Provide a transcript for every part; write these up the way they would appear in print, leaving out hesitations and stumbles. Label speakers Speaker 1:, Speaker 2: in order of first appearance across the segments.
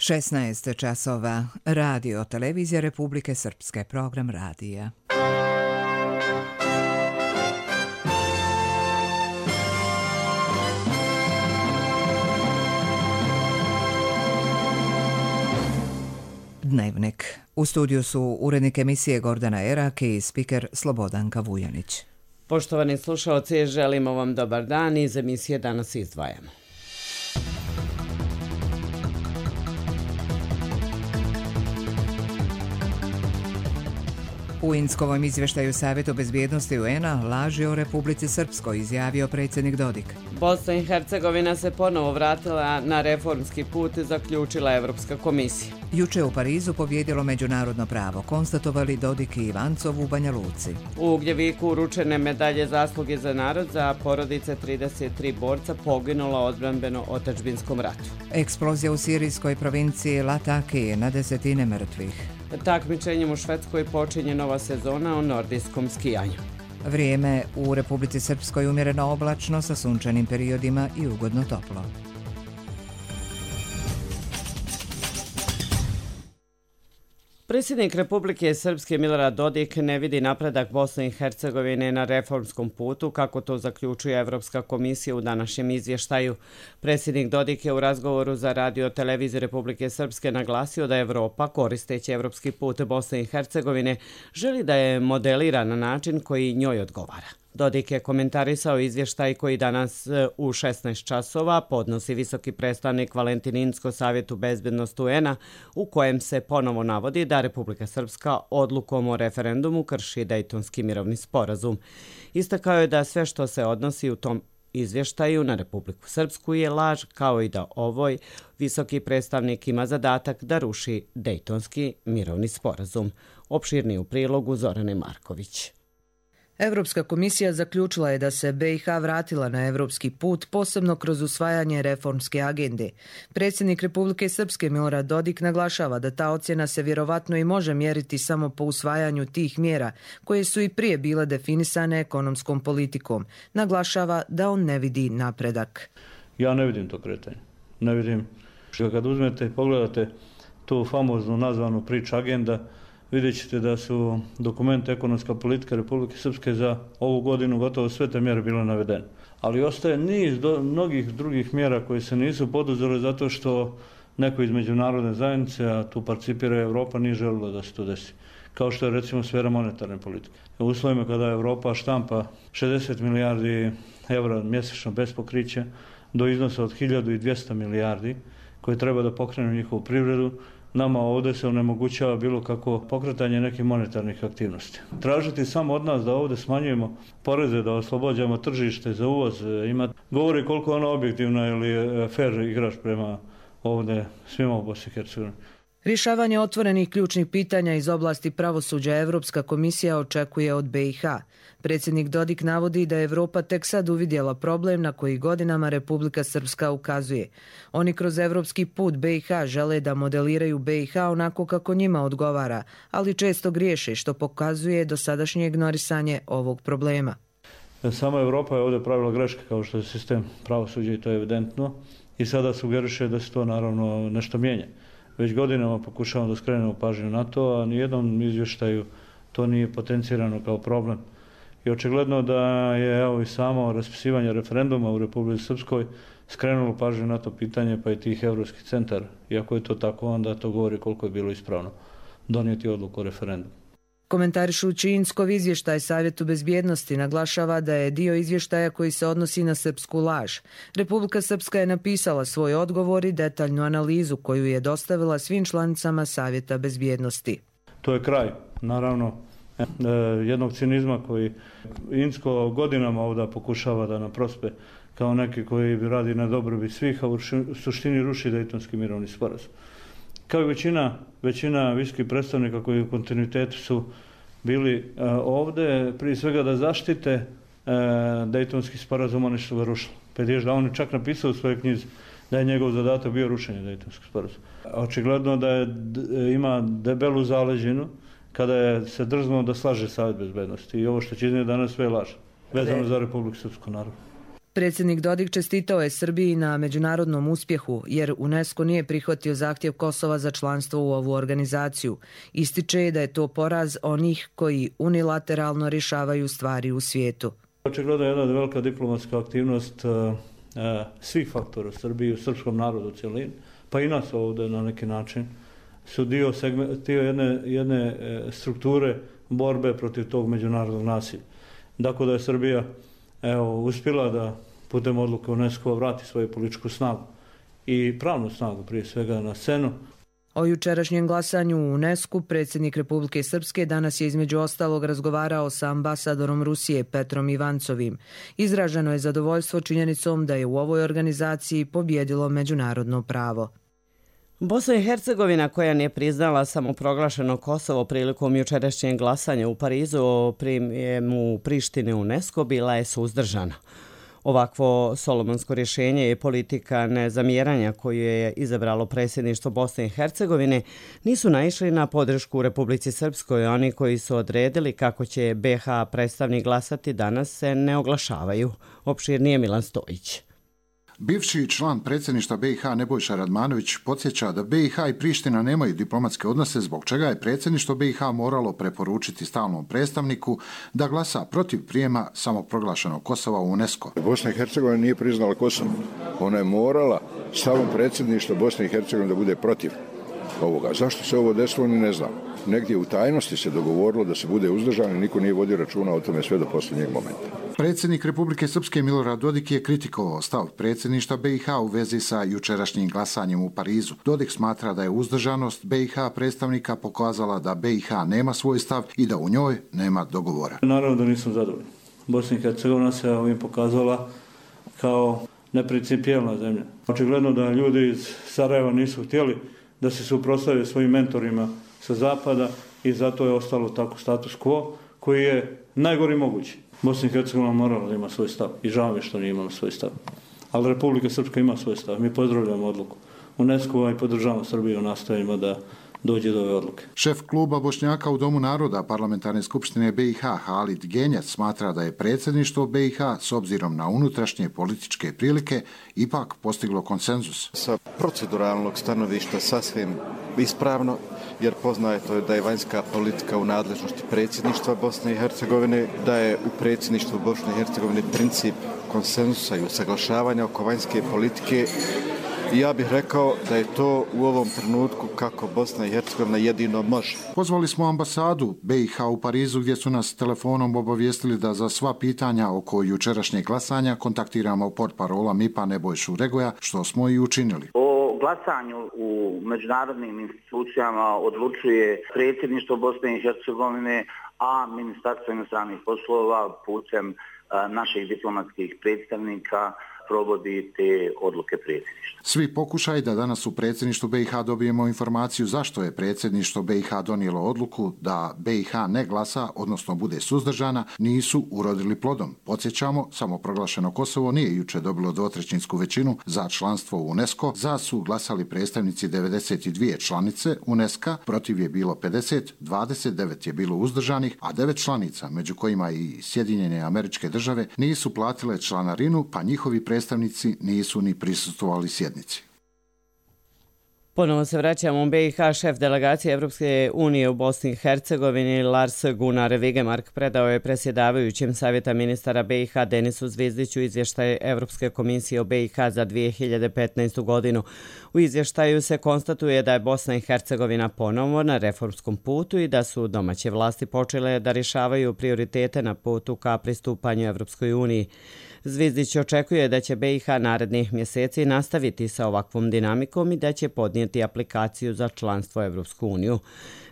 Speaker 1: 16 časova. Radio Televizija Republike Srpske. Program radija. Dnevnik. U studiju su urednik emisije Gordana Erak i spiker Slobodanka Vujanić.
Speaker 2: Poštovani slušalci, želimo vam dobar dan. Iz emisije danas izdvajamo.
Speaker 1: U Inckovom izvještaju Savjetu bezbjednosti UN-a laži o Republici Srpskoj, izjavio predsjednik Dodik.
Speaker 2: Bosna i Hercegovina se ponovo vratila na reformski put, zaključila Evropska komisija.
Speaker 1: Juče u Parizu pobjedilo međunarodno pravo, konstatovali Dodik i Ivancov u Banja Luci.
Speaker 2: U Ugljeviku uručene medalje zasluge za narod za porodice 33 borca poginulo odbranbeno otadžbinskom ratu.
Speaker 1: Eksplozija u sirijskoj provinciji Lataki, na desetine mrtvih.
Speaker 2: Takmičenjem u Švedskoj počinje nova sezona o nordijskom skijanju.
Speaker 1: Vrijeme u Republici Srpskoj umjereno oblačno sa sunčanim periodima i ugodno toplo.
Speaker 2: Predsjednik Republike Srpske Milorad Dodik ne vidi napredak Bosne i Hercegovine na reformskom putu, kako to zaključuje Evropska komisija u današnjem izvještaju. Predsjednik Dodik je u razgovoru za Radio Televiziju Republike Srpske naglasio da Evropa, koristeći evropski put Bosne i Hercegovine, želi da je modelira na način koji njoj odgovara. Dodik je komentarisao izvještaj koji danas u 16 časova podnosi visoki predstavnik Valentin Incko Savjetu bezbjednosti UN-a, u kojem se ponovo navodi da Republika Srpska odlukom o referendumu krši Dejtonski mirovni sporazum. Istakao je da sve što se odnosi u tom izvještaju na Republiku Srpsku je laž, kao i da ovoj visoki predstavnik ima zadatak da ruši Dejtonski mirovni sporazum. Opširniji u prilogu Zorane Marković.
Speaker 3: Evropska komisija zaključila je da se BiH vratila na evropski put, posebno kroz usvajanje reformske agende. Predsjednik Republike Srpske Milorad Dodik naglašava da ta ocjena se vjerovatno i može mjeriti samo po usvajanju tih mjera, koje su i prije bile definisane ekonomskom politikom. Naglašava da on ne vidi napredak.
Speaker 4: Ja ne vidim to kretanje. Ne vidim. Kad uzmete i pogledate tu famoznu nazvanu priča agenda, vidjet ćete da su dokumenti ekonomska politika Republike Srpske za ovu godinu gotovo sve te mjere bile navedene. Ali ostaje niz mnogih drugih mjera koje se nisu poduzele zato što neko iz međunarodne zajednice, a tu participira Evropa, nije želilo da se to desi. Kao što je recimo sfera monetarne politike. U uslovima kada Evropa štampa 60 milijardi evra mjesečno bez pokrića do iznosa od 1200 milijardi koje treba da pokrenu njihovu privredu, nama ovdje se onemogućava bilo kako pokretanje nekih monetarnih aktivnosti. Tražiti samo od nas da ovdje smanjujemo poreze, da oslobođamo tržište za uvoz, govori koliko je ono objektivno ili fair igrač prema ovdje svima u Bosni i Hercegovini.
Speaker 3: Rješavanje otvorenih ključnih pitanja iz oblasti pravosuđa Evropska komisija očekuje od BiH. Predsjednik Dodik navodi da je Evropa tek sad uvidjela problem na koji godinama Republika Srpska ukazuje. Oni kroz evropski put BiH žele da modeliraju BiH onako kako njima odgovara, ali često griješe, što pokazuje dosadašnje ignorisanje ovog problema.
Speaker 4: Sama Evropa je ovdje pravila greške kao što je sistem pravosuđa i to je evidentno i sada sugeriše da se to naravno nešto mijenja. Već godinama pokušavamo da skrenemo pažnju na to, a nijednom izvještaju to nije potencirano kao problem. I očigledno da je evo i samo raspisivanje referenduma u Republici Srpskoj skrenulo pažnju na to pitanje, pa i tih evropskih centara. Iako je to tako, onda to govori koliko je bilo ispravno donijeti odluku o referendumu.
Speaker 3: Komentarišući Inckov izvještaj Savjetu bezbjednosti naglašava da je dio izvještaja koji se odnosi na srpsku laž. Republika Srpska je napisala svoj odgovor i detaljnu analizu koju je dostavila svim članicama Savjeta bezbjednosti.
Speaker 4: To je kraj, naravno, jednog cinizma koji Incko godinama ovdje pokušava da nam prospe kao neki koji radi na dobrobit svih, a u suštini ruši Dejtonski mirovni sporazum. Kao i većina visokih predstavnika koji u kontinuitetu su bili ovdje, prije svega da zaštite Dejtonski sporazum, oni su ga rušili. Da on je čak napisao u svojoj knjizi da je njegov zadatak bio rušenje Dejtonskog sporazuma. Očigledno da ima debelu zaleđinu kada je se drznuo da slaže Savjet bezbjednosti i ovo što će iznijeti danas sve laže, vezano za Republiku Srpsku, naravno.
Speaker 3: Predsjednik Dodik čestitao je Srbiji na međunarodnom uspjehu, jer UNESCO nije prihvatio zahtjev Kosova za članstvo u ovu organizaciju. Ističe da je to poraz onih koji unilateralno rješavaju stvari u svijetu.
Speaker 4: Očigledno je jedna velika diplomatska aktivnost svih faktora u Srbiji, u srpskom narodu u cjelini, pa i nas ovdje na neki način, su dio jedne strukture borbe protiv tog međunarodnog nasilja. Dakle, da je Srbija uspjela da putem odluke UNESCO vrati svoju političku snagu i pravnu snagu prije svega na scenu.
Speaker 3: O jučerašnjem glasanju u UNESCO predsjednik Republike Srpske danas je između ostalog razgovarao sa ambasadorom Rusije Petrom Ivancovim. Izraženo je zadovoljstvo činjenicom da je u ovoj organizaciji pobjedilo međunarodno pravo.
Speaker 2: Bosna i Hercegovina, koja nije priznala samoproglašeno Kosovo prilikom jučerašnjeg glasanja u Parizu o prijemu Prištine u UNESCO, bila je suzdržana. Ovakvo solomonsko rješenje je politika nezamjeranja koju je izabralo predsjedništvo Bosne i Hercegovine, nisu naišli na podršku u Republici Srpskoj. Oni koji su odredili kako će BiH predstavnik glasati danas se ne oglašavaju. Opširnije Milan Stojić.
Speaker 5: Bivši član predsjedništva BiH Nebojša Radmanović podsjeća da BiH i Priština nemaju diplomatske odnose, zbog čega je predsjedništvo BiH moralo preporučiti stalnom predstavniku da glasa protiv prijema samoproglašenog Kosova u UNESCO.
Speaker 6: Bosna i Hercegovina nije priznala Kosovo. Ona je morala stavom predsjedništva Bosne i Hercegovine da bude protiv ovoga. Zašto se ovo desilo, ni ne znam. Negdje u tajnosti se dogovorilo da se bude uzdržan i niko nije vodio računa o tome sve do posljednjeg momenta.
Speaker 5: Predsjednik Republike Srpske Milorad Dodik je kritikovao stav predsjedništva BiH u vezi sa jučerašnjim glasanjem u Parizu. Dodik smatra da je uzdržanost BiH predstavnika pokazala da BiH nema svoj stav i da u njoj nema dogovora.
Speaker 4: Naravno da nisam zadovoljan. Bosna i Hercegovina se ovim pokazala kao neprincipijelna zemlja. Očigledno da ljudi iz Sarajeva nisu htjeli da se suprotstave svojim mentorima sa zapada i zato je ostalo tako status quo koji je najgori mogući. Bosna i Hercegovina morala da ima svoj stav i žao mi što nije imala svoj stav. Ali Republika Srpska ima svoj stav. Mi pozdravljamo odluku UNESCO i podržavamo Srbiju u nastojanjima da dođe do ove odluke.
Speaker 5: Šef kluba Bošnjaka u Domu naroda Parlamentarne skupštine BiH Halid Genjac smatra da je predsjedništvo BiH s obzirom na unutrašnje političke prilike ipak postiglo konsenzus.
Speaker 7: Sa proceduralnog stanovišta sasvim ispravno, jer poznato je da je vanjska politika u nadležnosti predsjedništva Bosne i Hercegovine, da je u predsjedništvu Bosne i Hercegovine princip konsenzusa i usaglašavanja oko vanjske politike. I ja bih rekao da je to u ovom trenutku kako Bosna i Hercegovina jedino može.
Speaker 5: Pozvali smo ambasadu BiH u Parizu gdje su nas telefonom obavijestili da za sva pitanja oko jučerašnjeg glasanja kontaktiramo portparola MIP-a Nebojšu Regoja, što smo i učinili.
Speaker 8: O glasanju u međunarodnim institucijama odlučuje predsjedništvo Bosne i Hercegovine, a Ministarstvo inostranih poslova putem naših diplomatskih predstavnika provodi te odluke predsjedništva.
Speaker 5: Svi pokušaj da danas u predsjedništvu BiH dobijemo informaciju zašto je predsjedništvo BiH donijelo odluku da BiH ne glasa, odnosno bude suzdržana, nisu urodili plodom. Podsjećamo, samoproglašeno Kosovo nije juče dobilo dvotrećinsku većinu za članstvo u UNESCO, za su glasali predstavnici 92 članice UNESCO, protiv je bilo 50, 29 je bilo uzdržanih, a 9 članica, među kojima i Sjedinjene Američke Države, nisu platile članarinu, pa njihovi predstavnici nisu ni prisustvovali sjednici.
Speaker 2: Ponovo se vraćamo u BiH. Šef delegacije Evropske unije u Bosni i Hercegovini Lars Gunnar Vigemark predao je predsjedavajućem Savjeta ministara BiH Denisu Zvizdiću izvještaj Evropske komisije o BiH za 2015. godinu. U izvještaju se konstatuje da je Bosna i Hercegovina ponovo na reformskom putu i da su domaće vlasti počele da rješavaju prioritete na putu ka pristupanju Evropskoj uniji. Zvizdić očekuje da će BiH narednih mjeseci nastaviti sa ovakvom dinamikom i da će podnijeti aplikaciju za članstvo u Evropsku uniju.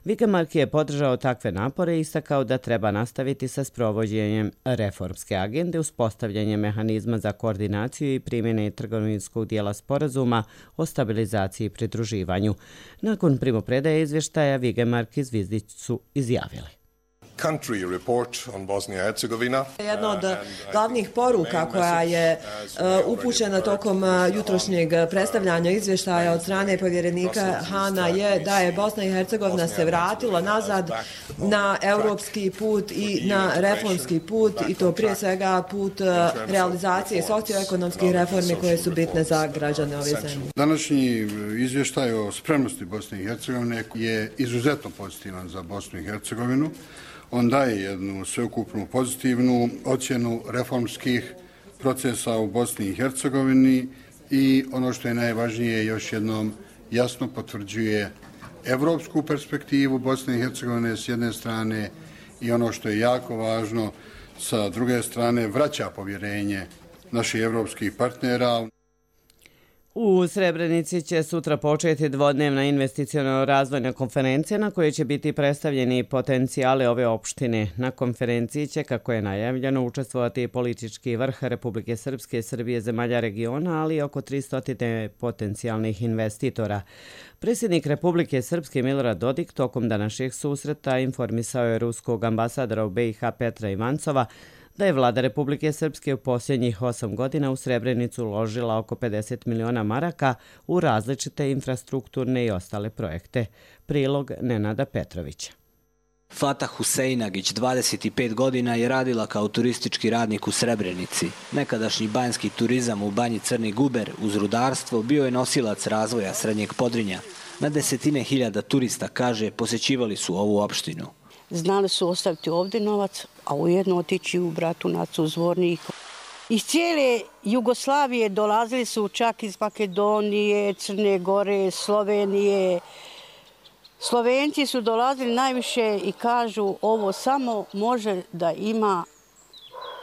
Speaker 2: Vigemark je podržao takve napore i istakao da treba nastaviti sa sprovođenjem reformske agende, uspostavljanje mehanizma za koordinaciju i primjene trgovinskog dijela sporazuma o stabilizaciji i pridruživanju. Nakon primopredaje izvještaja Vigemark i Zvizdić su izjavili.
Speaker 9: country report on Bosnia and Herzegovina.
Speaker 10: Jedna od glavnih poruka koja je upućena tokom jutrošnjeg predstavljanja izvještaja od strane povjerenika Hana je da je Bosna i Hercegovina se vratila nazad na europski put i na reformski put, i to prije svega put realizacije socioekonomskih reformi koje su bitne za građane ove zemlje.
Speaker 11: Današnji izvještaj o spremnosti Bosne i Hercegovine je izuzetno pozitivan za Bosnu i Hercegovinu. On daje jednu sveukupnu pozitivnu ocjenu reformskih procesa u Bosni i Hercegovini i ono što je najvažnije, još jednom jasno potvrđuje evropsku perspektivu Bosne i Hercegovine s jedne strane i ono što je jako važno, sa druge strane vraća povjerenje naših evropskih partnera.
Speaker 2: U Srebrenici će sutra početi dvodnevna investiciono-razvojna konferencija na kojoj će biti predstavljeni potencijale ove opštine. Na konferenciji će, kako je najavljeno, učestvovati politički vrh Republike Srpske, Srbije, zemalja regiona, ali i oko 300 potencijalnih investitora. Predsjednik Republike Srpske Milorad Dodik tokom današnjeg susreta informisao je ruskog ambasadora u BiH Petra Ivancova da je vlada Republike Srpske u posljednjih 8 godina u Srebrenicu uložila oko 50 miliona maraka u različite infrastrukturne i ostale projekte. Prilog Nenada Petrovića.
Speaker 12: Fatah Huseinagić, 25 godina, je radila kao turistički radnik u Srebrenici. Nekadašnji banjski turizam u banji Crni Guber uz rudarstvo bio je nosilac razvoja Srednjeg Podrinja. Na desetine hiljada turista, kaže, posjećivali su ovu opštinu.
Speaker 13: Znali su ostaviti ovdje novac, a ujedno otići u Bratunac, u Zvornik. Iz cijele Jugoslavije dolazili su čak iz Makedonije, Crne Gore, Slovenije. Slovenci su dolazili najviše i kažu ovo samo može da ima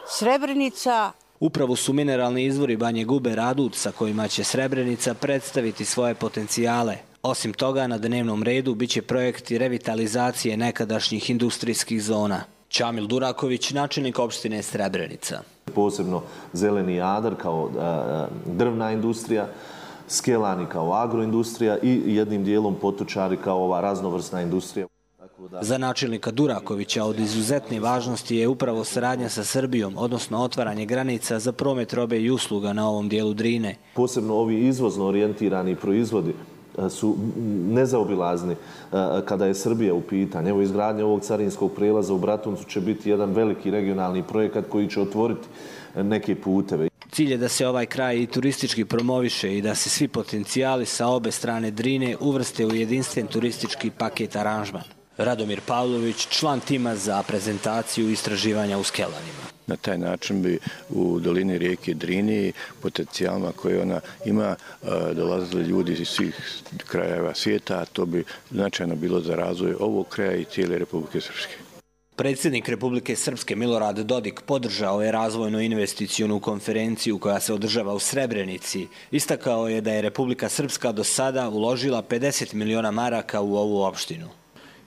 Speaker 13: Srebrenica.
Speaker 12: Upravo su mineralni izvori Banje Guber adut sa kojima će Srebrenica predstaviti svoje potencijale. Osim toga, na dnevnom redu biće projekti revitalizacije nekadašnjih industrijskih zona. Čamil Duraković, načelnik opštine Srebrenica.
Speaker 14: Posebno Zeleni Jadar kao drvna industrija, Skelani kao agroindustrija i jednim dijelom Potočari kao ova raznovrsna industrija.
Speaker 12: Za načelnika Durakovića od izuzetne važnosti je upravo saradnja sa Srbijom, odnosno otvaranje granica za promet robe i usluga na ovom dijelu Drine.
Speaker 14: Posebno ovi izvozno orijentirani proizvodi su nezaobilazni kada je Srbija u pitanju. Evo, izgradnja ovog carinskog prelaza u Bratuncu će biti jedan veliki regionalni projekat koji će otvoriti neke puteve.
Speaker 12: Cilj je da se ovaj kraj i turistički promoviše i da se svi potencijali sa obe strane Drine uvrste u jedinstven turistički paket aranžman. Radomir Pavlović, član tima za prezentaciju istraživanja u Skelanima.
Speaker 15: Na taj način bi u dolini rijeke Drini potencijalima koje ona ima dolazili ljudi iz svih krajeva svijeta, a to bi značajno bilo za razvoj ovog kraja i cijele Republike Srpske.
Speaker 12: Predsjednik Republike Srpske Milorad Dodik podržao je razvojno-investicijonu konferenciju koja se održava u Srebrenici. Istakao je da je Republika Srpska do sada uložila 50 miliona maraka u ovu opštinu.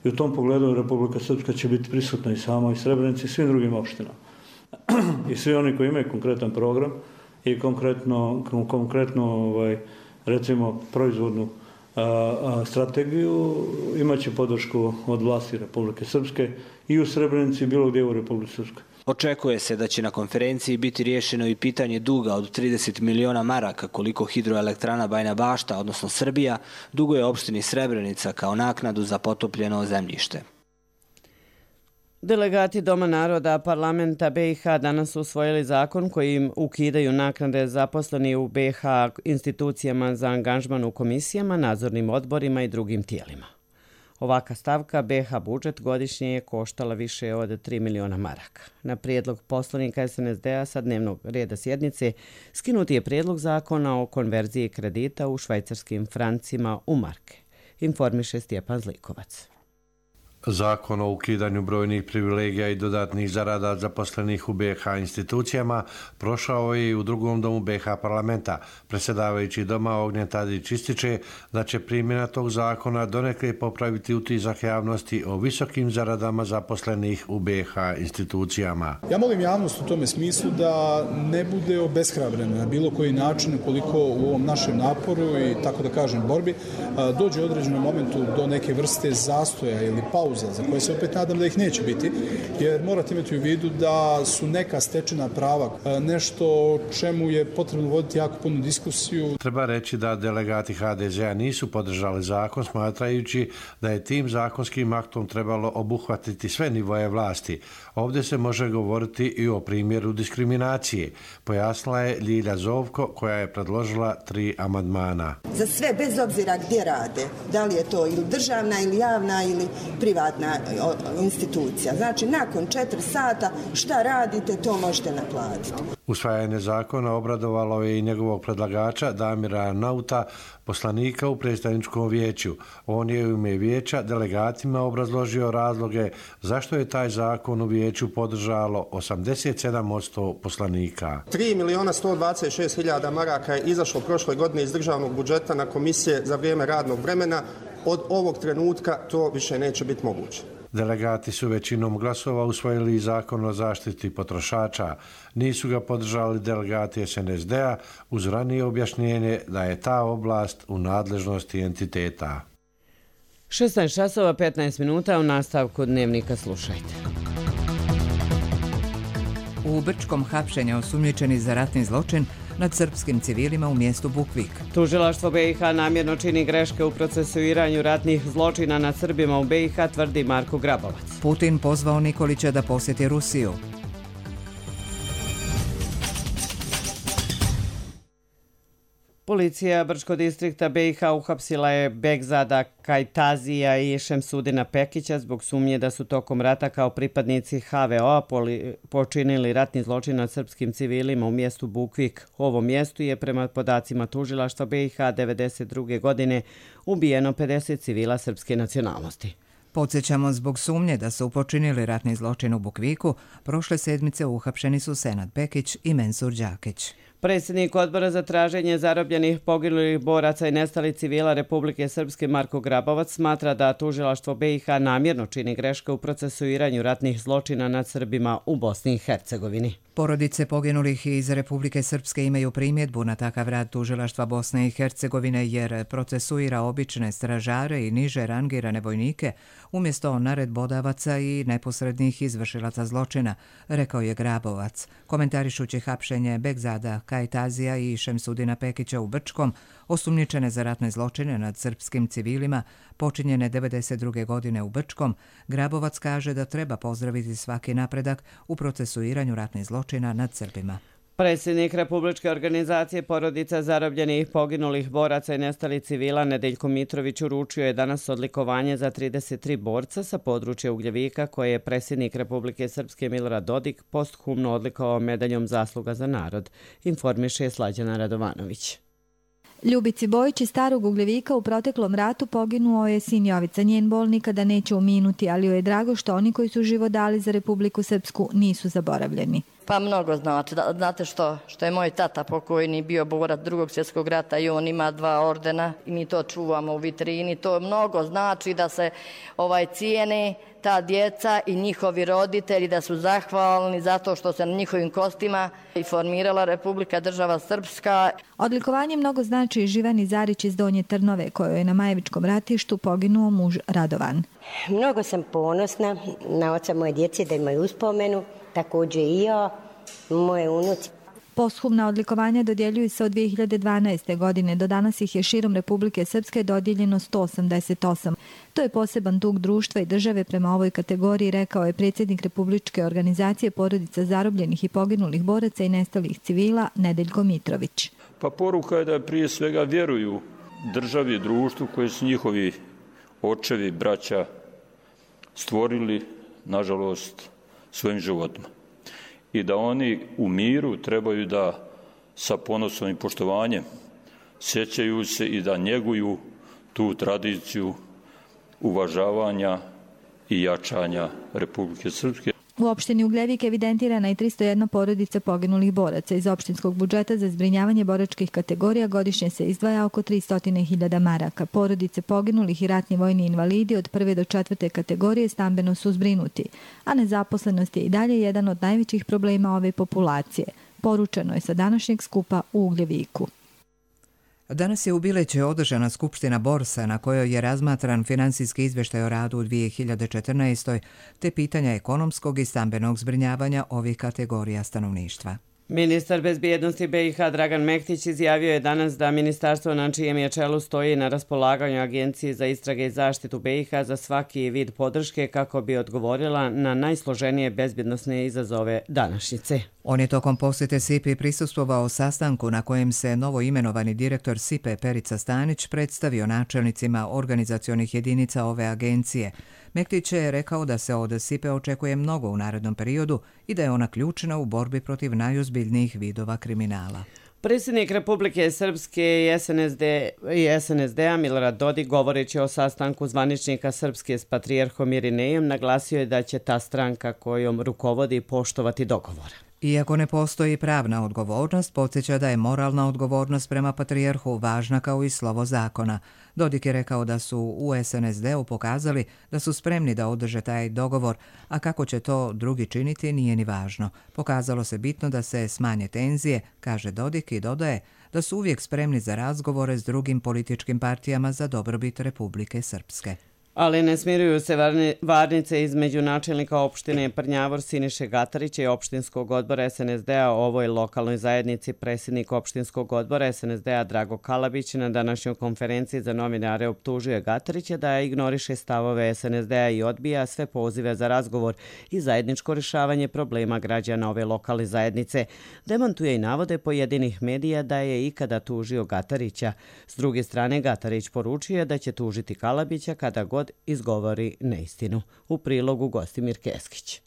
Speaker 4: I u tom pogledu Republika Srpska će biti prisutna i sama i Srebrenici i svim drugim opštinama. I svi oni koji imaju konkretan program i konkretno recimo proizvodnu strategiju imat će podršku od vlasti Republike Srpske i u Srebrenici i bilo gdje u Republike Srpske.
Speaker 12: Očekuje se da će na konferenciji biti riješeno i pitanje duga od 30 miliona maraka koliko hidroelektrana Bajina Bašta, odnosno Srbija, duguje opštini Srebrenica kao naknadu za potopljeno zemljište.
Speaker 2: Delegati Doma naroda parlamenta BiH danas usvojili zakon kojim ukidaju naknade zaposleni u BiH institucijama za angažman u komisijama, nadzornim odborima i drugim tijelima. Ovaka stavka BiH budžet godišnje je koštala više od 3 miliona maraka. Na prijedlog poslanika SNSD-a sa dnevnog reda sjednice skinuti je prijedlog zakona o konverziji kredita u švajcarskim francima u marke, informiše Stjepan Zlikovac.
Speaker 16: Zakon o ukidanju brojnih privilegija i dodatnih zarada zaposlenih u BiH institucijama prošao je i u drugom domu BiH parlamenta. Predsjedavajući doma Ognjen Tadić ističe da će primjena tog zakona donekle popraviti utisak javnosti o visokim zaradama zaposlenih u BiH institucijama.
Speaker 17: Ja molim javnost u tome smislu da ne bude obeshrabrena na bilo koji način ukoliko u ovom našem naporu i tako da kažem borbi dođe u određenom momentu do neke vrste zastoja ili pauze iluzija, za koje se opet nadam da ih neće biti, jer morate imati u vidu da su neka stečena prava nešto čemu je potrebno voditi jako puno diskusiju.
Speaker 16: Treba reći da delegati HDZ-a nisu podržali zakon, smatrajući da je tim zakonskim aktom trebalo obuhvatiti sve nivoje vlasti. Ovdje se može govoriti i o primjeru diskriminacije, pojasnila je Ljilja Zovko koja je predložila 3 amandmana.
Speaker 18: Za sve, bez obzira gdje rade, da li je to ili državna ili javna ili privatna institucija. Znači, nakon 4 sata šta radite, to možete naplatiti.
Speaker 16: Usvajanje zakona obradovalo je i njegovog predlagača Damira Nauta, poslanika u predstavničkom vijeću. On je u ime vijeća delegatima obrazložio razloge zašto je taj zakon u vijeću podržalo 87% poslanika.
Speaker 19: 3.126.000 maraka je izašlo prošle godine iz državnog budžeta na komisije za vrijeme radnog vremena. Od ovog trenutka to više neće biti moguće.
Speaker 16: Delegati su većinom glasova usvojili zakon o zaštiti potrošača. Nisu ga podržali delegati SNSD-a uz ranije objašnjenje da je ta oblast u nadležnosti entiteta.
Speaker 2: 16:15 u nastavku Dnevnika slušajte.
Speaker 1: U Brčkom hapšenja osumnjičeni za ratni zločin nad srpskim civilima u mjestu Bukvik.
Speaker 2: Tužilaštvo BiH namjerno čini greške u procesuiranju ratnih zločina nad Srbima u BiH, tvrdi Marko Grabovac.
Speaker 1: Putin pozvao Nikolića da posjeti Rusiju.
Speaker 2: Policija Brčkog distrikta BiH uhapsila je Begzada Kajtazija i Šemsudina Pekića zbog sumnje da su tokom rata kao pripadnici HVO-a počinili ratni zločin nad srpskim civilima u mjestu Bukvik. U ovom mjestu je prema podacima tužilaštva BiH 1992. godine ubijeno 50 civila srpske nacionalnosti.
Speaker 1: Podsjećamo, zbog sumnje da su počinili ratni zločin u Bukviku, prošle sedmice uhapšeni su Senad Pekić i Mensur Đakić.
Speaker 2: Predsjednik odbora za traženje zarobljenih, poginulih boraca i nestalih civila Republike Srpske Marko Grabovac smatra da tužilaštvo BiH namjerno čini greške u procesuiranju ratnih zločina nad Srbima u Bosni i Hercegovini.
Speaker 1: Porodice poginulih iz Republike Srpske imaju primjedbu na takav rad tužilaštva Bosne i Hercegovine jer procesuira obične stražare i niže rangirane vojnike umjesto naredbodavaca i neposrednih izvršilaca zločina, rekao je Grabovac, komentarišući hapšenje Begzada Kajtazija i Šemsudina Pekića u Brčkom, osumnjičene za ratne zločine nad srpskim civilima, počinjene 1992. godine u Brčkom. Grabovac kaže da treba pozdraviti svaki napredak u procesuiranju ratnih zločina nad Srbima.
Speaker 2: Predsjednik Republičke organizacije porodica zarobljenih, poginulih boraca i nestalih civila Nedeljko Mitrović uručio je danas odlikovanje za 33 borca sa područja Ugljevika koje je predsjednik Republike Srpske Milorad Dodik posthumno odlikovao medaljom Zasluga za narod, informiše Slađana Radovanović.
Speaker 20: Ljubici Bojić iz Starog Ugljevika u proteklom ratu poginuo je sin Jovica. Njen bol nikada neće uminuti, ali joj je drago što oni koji su život dali za Republiku Srpsku nisu zaboravljeni.
Speaker 21: Pa mnogo znači. Znate što je moj tata pokojni bio borac Drugog svjetskog rata i on ima 2 ordena i mi to čuvamo u vitrini. To mnogo znači da se cijene ta djeca i njihovi roditelji, da su zahvalni zato što se na njihovim kostima i formirala Republika država Srpska.
Speaker 20: Odlikovanje mnogo znači i Živani Zarić iz Donje Trnove, kojoj je na Majevičkom ratištu poginuo muž Radovan.
Speaker 22: Mnogo sam ponosna na oca moje djece da imaju uspomenu, također i ja, moje unuci.
Speaker 20: Posthumna odlikovanja dodjeljuju se od 2012. godine. Do danas ih je širom Republike Srpske dodijeljeno 188. To je poseban dug društva i države prema ovoj kategoriji, rekao je predsjednik Republičke organizacije porodica zarobljenih i poginulih boraca i nestalih civila Nedeljko Mitrović.
Speaker 23: Pa poruka je da prije svega vjeruju državi, društvu koje su njihovi očevi, braća stvorili, nažalost, svojim životima. I da oni u miru trebaju da sa ponosom i poštovanjem sjećaju se i da njeguju tu tradiciju uvažavanja i jačanja Republike Srpske.
Speaker 20: U opštini Ugljevik evidentirana je 301 porodica poginulih boraca. Iz opštinskog budžeta za zbrinjavanje boračkih kategorija godišnje se izdvaja oko 300.000 maraka. Porodice poginulih i ratni vojni invalidi od 1. do 4. kategorije stambeno su zbrinuti, a nezaposlenost je i dalje jedan od najvećih problema ove populacije. Poručeno je sa današnjeg skupa u Ugljeviku.
Speaker 1: Danas je u Bileće održana Skupština Borsa na kojoj je razmatran financijski izvještaj o radu u 2014. te pitanja ekonomskog i stambenog zbrinjavanja ovih kategorija stanovništva.
Speaker 2: Ministar bezbjednosti BiH Dragan Mektić izjavio je danas da ministarstvo na čijem je čelu stoji na raspolaganju Agenciji za istrage i zaštitu BiH za svaki vid podrške kako bi odgovorila na najsloženije bezbjednosne izazove današnjice.
Speaker 1: On je tokom posjete SIPA prisustvovao sastanku na kojem se novo imenovani direktor SIPA Perica Stanić predstavio načelnicima organizacionih jedinica ove agencije. Mektić je rekao da se od SIPA očekuje mnogo u narednom periodu i da je ona ključna u borbi protiv najozbiljnijih vidova kriminala.
Speaker 2: Predsjednik Republike Srpske i SNSD-a Milorad Dodik, govoreći o sastanku zvaničnika Srpske s patrijarhom Irinejom, naglasio je da će ta stranka kojom rukovodi poštovati dogovor.
Speaker 1: Iako ne postoji pravna odgovornost, podsjeća da je moralna odgovornost prema patrijarhu važna kao i slovo zakona. Dodik je rekao da su u SNSD-u pokazali da su spremni da održe taj dogovor, a kako će to drugi činiti nije ni važno. Pokazalo se bitno da se smanje tenzije, kaže Dodik i dodaje da su uvijek spremni za razgovore s drugim političkim partijama za dobrobit Republike Srpske.
Speaker 2: Ali ne smiruju se varnice između načelnika opštine Prnjavor Siniše Gatarića i opštinskog odbora SNSD-a o ovoj lokalnoj zajednici. Predsjednik opštinskog odbora SNSD-a Drago Kalabić na današnjoj konferenciji za novinare optužio Gatarića da ignoriše stavove SNSD-a i odbija sve pozive za razgovor i zajedničko rješavanje problema građana ove lokalne zajednice. Demantuje i navode pojedinih medija da je ikada tužio Gatarića. S druge strane, Gatarić poručuje da će tužiti Kalabića kada god izgovori neistinu. U prilogu Gostimir Keskić.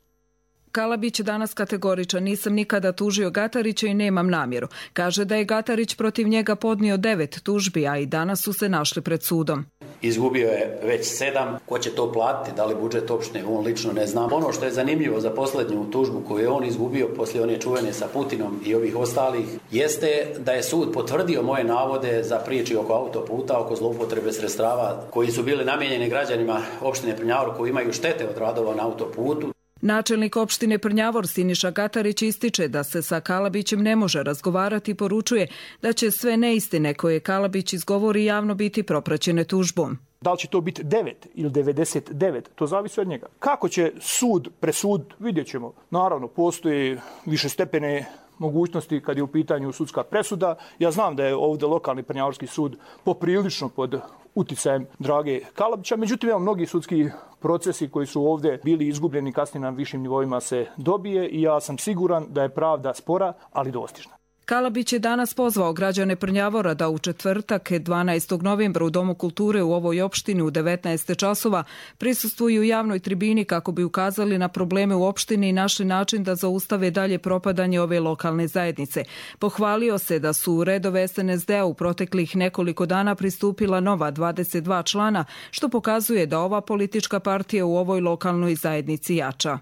Speaker 3: Kalabić danas kategoričan, nisam nikada tužio Gatarića i nemam namjeru. Kaže da je Gatarić protiv njega podnio 9 tužbi, a i danas su se našli pred sudom.
Speaker 6: Izgubio je već 7. Ko će to platiti? Da li budžet opštine? On lično ne zna. Ono što je zanimljivo za posljednju tužbu koju je on izgubio poslije one čuvene sa Putinom i ovih ostalih, jeste da je sud potvrdio moje navode za priči oko autoputa, oko zloupotrebe sredstava koji su bili namijenjeni građanima opštine Prnjavor koji imaju štete od radova na autoputu.
Speaker 3: Načelnik opštine Prnjavor Siniša Gatarić ističe da se sa Kalabićem ne može razgovarati i poručuje da će sve neistine koje Kalabić izgovori javno biti propraćene tužbom.
Speaker 7: Da li će to biti 9 ili 99, to zavisi od njega. Kako će sud presud, vidjet ćemo. Naravno, postoji višestepene mogućnosti kad je u pitanju sudska presuda. Ja znam da je ovdje lokalni Prnjavorski sud poprilično pod uticajem Drage Kalabića, međutim, mnogi sudski procesi koji su ovdje bili izgubljeni kasnije na višim nivoima se dobije i ja sam siguran da je pravda spora, ali dostižna.
Speaker 3: Kalabić je danas pozvao građane Prnjavora da u četvrtak 12. novembra u Domu kulture u ovoj opštini u 19 časova prisustvuju javnoj tribini kako bi ukazali na probleme u opštini i našli način da zaustave dalje propadanje ove lokalne zajednice. Pohvalio se da su u redove SNSD-a u proteklih nekoliko dana pristupila nova 22 člana, što pokazuje da ova politička partija u ovoj lokalnoj zajednici jača.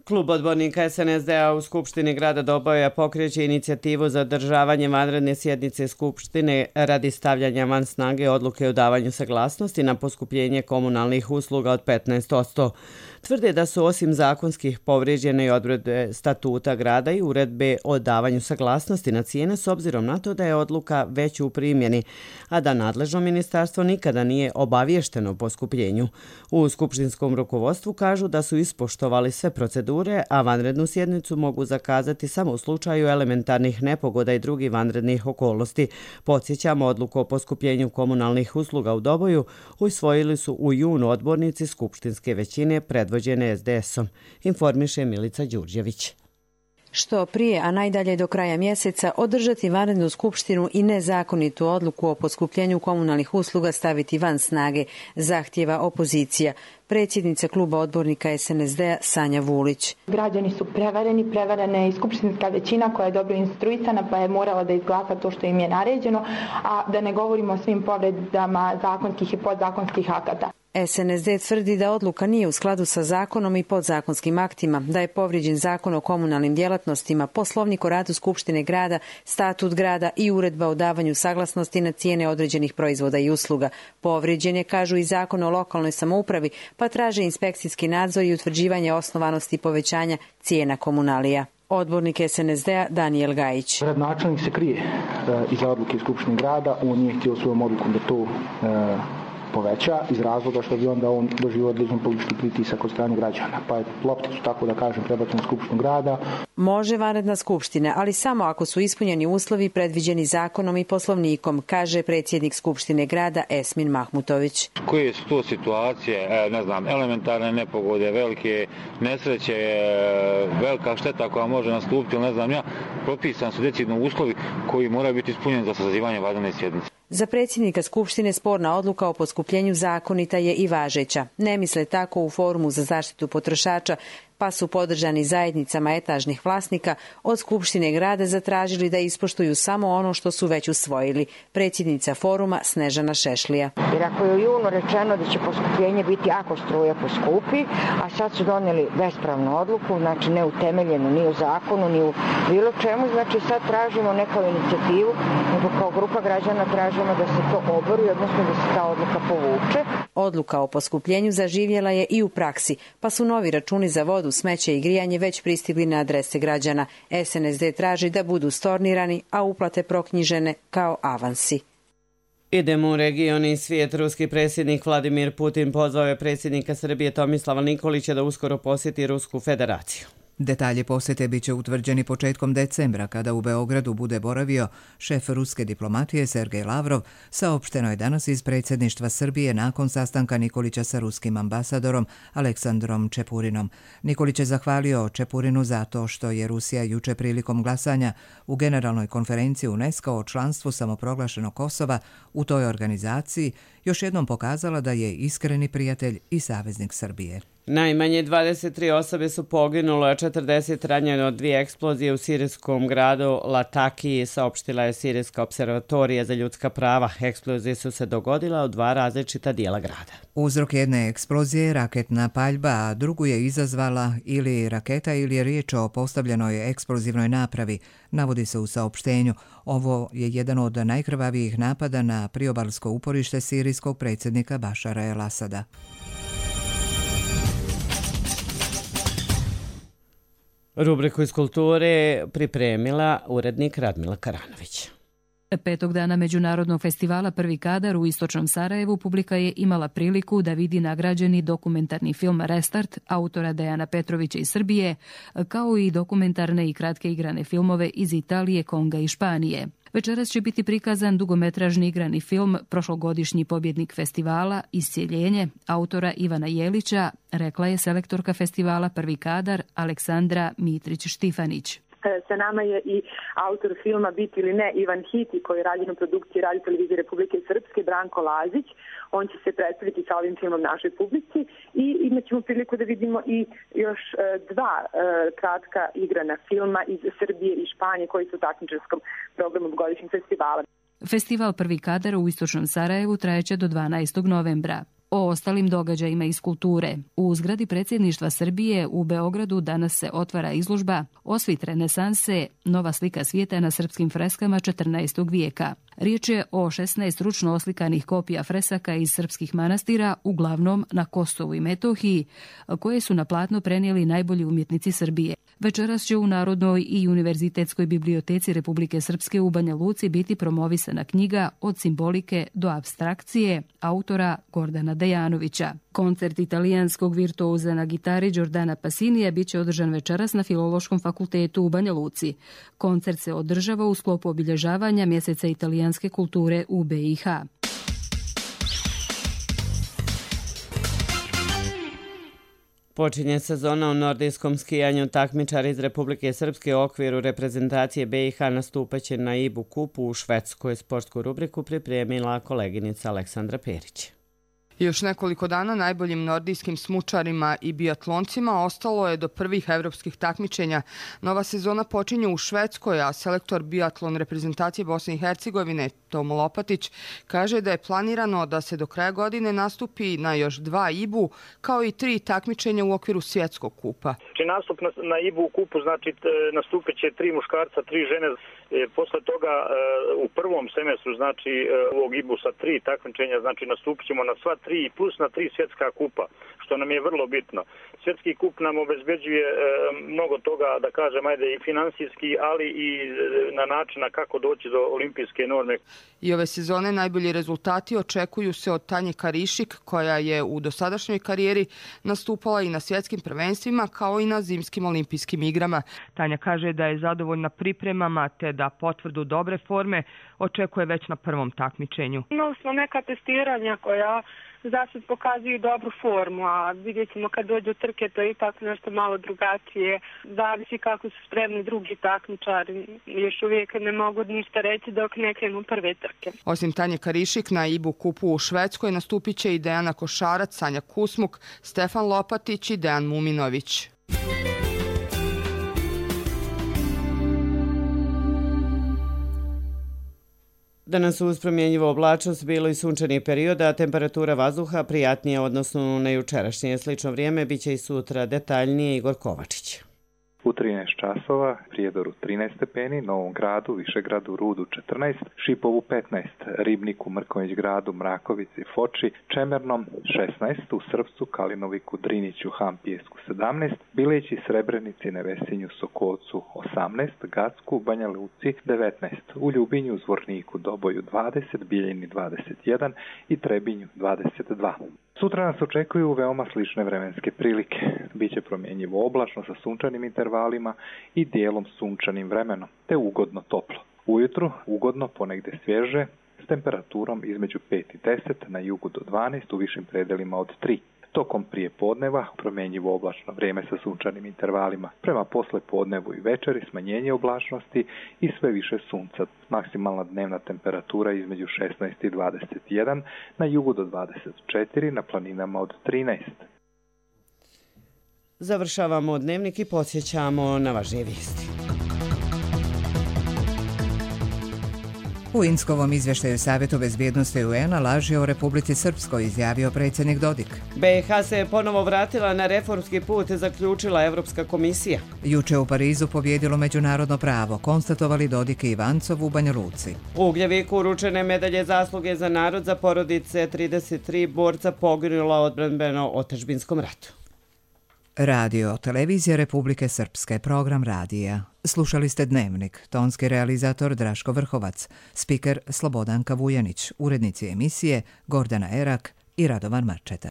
Speaker 2: Klub odbornika SNSD-a u Skupštini grada Doboja pokreće inicijativu za održavanje vanredne sjednice Skupštine radi stavljanja van snage odluke o davanju saglasnosti na poskupljenje komunalnih usluga od 15%. Tvrde da su osim zakonskih povrijeđene i odredbe statuta grada i uredbe o davanju saglasnosti na cijene s obzirom na to da je odluka već u primjeni, a da nadležno ministarstvo nikada nije obavješteno o poskupljenju. U skupštinskom rukovodstvu kažu da su ispoštovali sve procedure, a vanrednu sjednicu mogu zakazati samo u slučaju elementarnih nepogoda i drugih vanrednih okolnosti. Podsjećamo, odluku o poskupljenju komunalnih usluga u Doboju usvojili su u junu odbornici skupštinske većine predvođene SDS-om, informiše Milica Đurđević.
Speaker 24: Što prije, a najdalje do kraja mjeseca, održati vanrednu skupštinu i nezakonitu odluku o poskupljenju komunalnih usluga staviti van snage, zahtjeva opozicija. Predsjednica kluba odbornika SNSD-a Sanja Vulić.
Speaker 25: Građani su prevareni, prevarena je i skupštinska većina koja je dobro instruisana pa je morala da izglasa to što im je naređeno, a da ne govorimo o svim povredama zakonskih i podzakonskih akata.
Speaker 24: SNSD tvrdi da odluka nije u skladu sa zakonom i podzakonskim aktima, da je povrijeđen zakon o komunalnim djelatnostima, poslovnik o radu Skupštine grada, statut grada i uredba o davanju saglasnosti na cijene određenih proizvoda i usluga. Povrijeđen je, kažu, i zakon o lokalnoj samoupravi, pa traže inspekcijski nadzor i utvrđivanje osnovanosti povećanja cijena komunalija. Odbornik SNSD-a Danijel Gajić.
Speaker 7: Gradonačelnik se krije iza odluke Skupštine grada, on nije htio svojom odlukom da to poveća iz razloga što bi onda on doživio određen politički pritisak od strane građana. Pa je lopta su, tako da kažem, prebačena na Skupštinu grada.
Speaker 24: Može vanredna skupština, ali samo ako su ispunjeni uslovi predviđeni zakonom i poslovnikom, kaže predsjednik Skupštine grada Esmin Mahmutović.
Speaker 5: Koje su to situacije, ne znam, elementarne nepogode, velike nesreće, velika šteta koja može nastupiti, ne znam ja, propisan su decidno uslovi koji moraju biti ispunjeni za sazivanje vanredne sjednice.
Speaker 24: Za predsjednika Skupštine sporna odluka o poskupljenju zakonita je i važeća. Ne misle tako u Forumu za zaštitu potrošača, pa su podržani zajednicama etažnih vlasnika od Skupštine grada zatražili da ispoštuju samo ono što su već usvojili. Predsjednica foruma Snežana Šešlija.
Speaker 8: Jer ako je u junu rečeno da će poskupljenje biti ako struja poskupi, a sad su donijeli bespravnu odluku, znači neutemeljenu ni u zakonu, ni u bilo čemu, znači sad tražimo neku inicijativu, nego kao grupa građana tražimo da se to obori, odnosno da se ta odluka povuče.
Speaker 24: Odluka o poskupljenju zaživjela je i u praksi, pa su novi računi za vodu, smeće i grijanje već pristigli na adrese građana. SNSD traži da budu stornirani, a uplate proknjižene kao avansi.
Speaker 2: Idemo u region i svijet. Ruski predsjednik Vladimir Putin pozvao je predsjednika Srbije Tomislava Nikolića da uskoro posjeti Rusku federaciju.
Speaker 1: Detalji posjete bit će utvrđeni početkom decembra, kada u Beogradu bude boravio šef ruske diplomatije Sergej Lavrov, saopšteno je danas iz predsjedništva Srbije nakon sastanka Nikolića sa ruskim ambasadorom Aleksandrom Čepurinom. Nikolić je zahvalio Čepurinu zato što je Rusija juče prilikom glasanja u Generalnoj konferenciji UNESCO o članstvu samoproglašenog Kosova u toj organizaciji još jednom pokazala da je iskreni prijatelj i saveznik Srbije.
Speaker 2: Najmanje 23 osobe su poginulo, a 40 ranjeno od 2 eksplozije u sirijskom gradu Latakiji, saopštila je Sirijska observatorija za ljudska prava. Eksplozije su se dogodila u 2 različita dijela grada.
Speaker 1: Uzrok jedne eksplozije je raketna paljba, a drugu je izazvala ili raketa ili je riječ o postavljenoj eksplozivnoj napravi, navodi se u saopštenju. Ovo je jedan od najkrvavijih napada na priobalsko uporište sirijskog predsjednika Bašara el-Asada.
Speaker 2: Rubriku iz kulture pripremila urednik Radmila Karanović.
Speaker 9: 5. dana Međunarodnog festivala Prvi kadar u istočnom Sarajevu publika je imala priliku da vidi nagrađeni dokumentarni film Restart autora Dejana Petrovića iz Srbije, kao i dokumentarne i kratke igrane filmove iz Italije, Konga i Španije. Večeras će biti prikazan dugometražni igrani film prošlogodišnji pobjednik festivala Iscijeljenje autora Ivana Jelića, rekla je selektorka festivala Prvi kadar Aleksandra Mitrić-Štifanić.
Speaker 25: Sa nama je i autor filma Biti ili ne Ivan Hiti, koji je rađen u produkciji Radio Televizije Republike Srpske, Branko Lazić. On će se predstaviti sa ovim filmom našoj publici i imat ćemo priliku da vidimo i još 2 kratka igrana filma iz Srbije i Španije koji su u takmičarskom programu godišnjeg festivala.
Speaker 9: Festival Prvi kadar u istočnom Sarajevu trajeće do 12. novembra. O ostalim događajima iz kulture. U zgradi predsjedništva Srbije u Beogradu danas se otvara izložba Osvit renesanse, nova slika svijeta na srpskim freskama 14. vijeka. Riječ je o 16 ručno oslikanih kopija fresaka iz srpskih manastira, uglavnom na Kosovu i Metohiji, koje su na platno prenijeli najbolji umjetnici Srbije. Večeras će u Narodnoj i Univerzitetskoj biblioteci Republike Srpske u Banja Luci biti promovisana knjiga Od simbolike do apstrakcije autora Gordana Dejanovića. Koncert italijanskog virtuoza na gitari Giordana Passinija bit će održan večeras na Filološkom fakultetu u Banja Luci. Koncert se održava u sklopu obilježavanja mjeseca italijanske kulture u BiH.
Speaker 2: Počinje sezona u nordijskom skijanju. Takmičari iz Republike Srpske u okviru reprezentacije BiH nastupaće na IBU kupu u Švedskoj. Sportsku rubriku pripremila koleginica Aleksandra Perić.
Speaker 10: Još nekoliko dana najboljim nordijskim smučarima i biatloncima ostalo je do prvih evropskih takmičenja. Nova sezona počinje u Švedskoj, a selektor biatlon reprezentacije Bosne i Hercegovine Tomo Lopatić kaže da je planirano da se do kraja godine nastupi na još 2 IBU, kao i 3 takmičenja u okviru svjetskog kupa.
Speaker 7: Znači nastup na IBU kupu, znači nastupit će 3 muškarca, 3 žene. Posle toga u prvom semestru, znači ovog IBU sa 3 takmičenja, znači nastupit ćemo na sva 3 plus na 3 svjetska kupa, što nam je vrlo bitno. Svjetski kup nam obezbeđuje mnogo toga, da kažem, ajde i finansijski, ali i na način kako doći do olimpijske norme.
Speaker 10: I ove sezone najbolji rezultati očekuju se od Tanje Karišik, koja je u dosadašnjoj karijeri nastupala i na svjetskim prvenstvima kao i na zimskim olimpijskim igrama. Tanja kaže da je zadovoljna pripremama te da potvrdu dobre forme očekuje već na prvom takmičenju.
Speaker 4: Imali smo neka testiranja koja za sad pokazuju dobru formu, a vidjet ćemo kad dođe do trke, to je ipak nešto malo drugačije. Zavisi kako su spremni drugi takmičari. Još uvijek ne mogu ništa reći dok ne krenu prve trke.
Speaker 10: Osim Tanje Karišik, na IBU kupu u Švedskoj nastupit će i Dejana Košarac, Sanja Kusmuk, Stefan Lopatić i Dejan Muminović.
Speaker 2: Danas uz promjenjivu oblačnost bilo i sunčani period, a temperatura vazduha prijatnija odnosno na jučerašnje. Slično vrijeme biće i sutra. Detaljnije Igor Kovačić.
Speaker 11: U 13 časova, Prijedoru 13 stepeni, Novom Gradu, Višegradu, Rudu 14, Šipovu 15, Ribniku, Mrkonjić Gradu, Mrakovici, Foči, Čemernom 16, u Srpcu, Kalinoviku, Driniću, Hampijesku 17, Bileći, Srebrenici, Nevesinju, Sokolcu 18, Gacku, Banja Luci 19, u Ljubinju, Zvorniku, Doboju 20, Bijeljini 21 i Trebinju 22. Sutra nas očekuju veoma slične vremenske prilike. Biće promjenjivo oblačno sa sunčanim intervalima i dijelom sunčanim vremenom, te ugodno toplo. Ujutru ugodno, ponegde svježe, s temperaturom između 5 i 10, na jugu do 12, u višim predelima od 3. Tokom prije podneva promjenjivo oblačno vrijeme sa sunčanim intervalima. Prema posle podnevu i večeri smanjenje oblačnosti i sve više sunca. Maksimalna dnevna temperatura između 16 i 21, na jugu do 24, na planinama od 13.
Speaker 2: Završavamo dnevnik i podsjećamo na važnije vijesti.
Speaker 1: U Inskovom izvještaju Savjetu bezbjednosti UN-a laži o Republici Srpskoj, izjavio predsjednik Dodik.
Speaker 2: BiH se je ponovo vratila na reformski put, zaključila Evropska komisija.
Speaker 1: Juče u Parizu pobjedilo međunarodno pravo, konstatovali Dodik i Ivancov u Banja Luci.
Speaker 2: U Ugljeviku uručene medalje zasluge za narod za porodice 33 borca poginula u odbrambeno-otadžbinskom ratu.
Speaker 1: Radio, televizija Republike Srpske, program radija. Slušali ste Dnevnik, tonski realizator Draško Vrhovac, spiker Slobodanka Vujanić, urednici emisije Gordana Erak i Radovan Marčeta.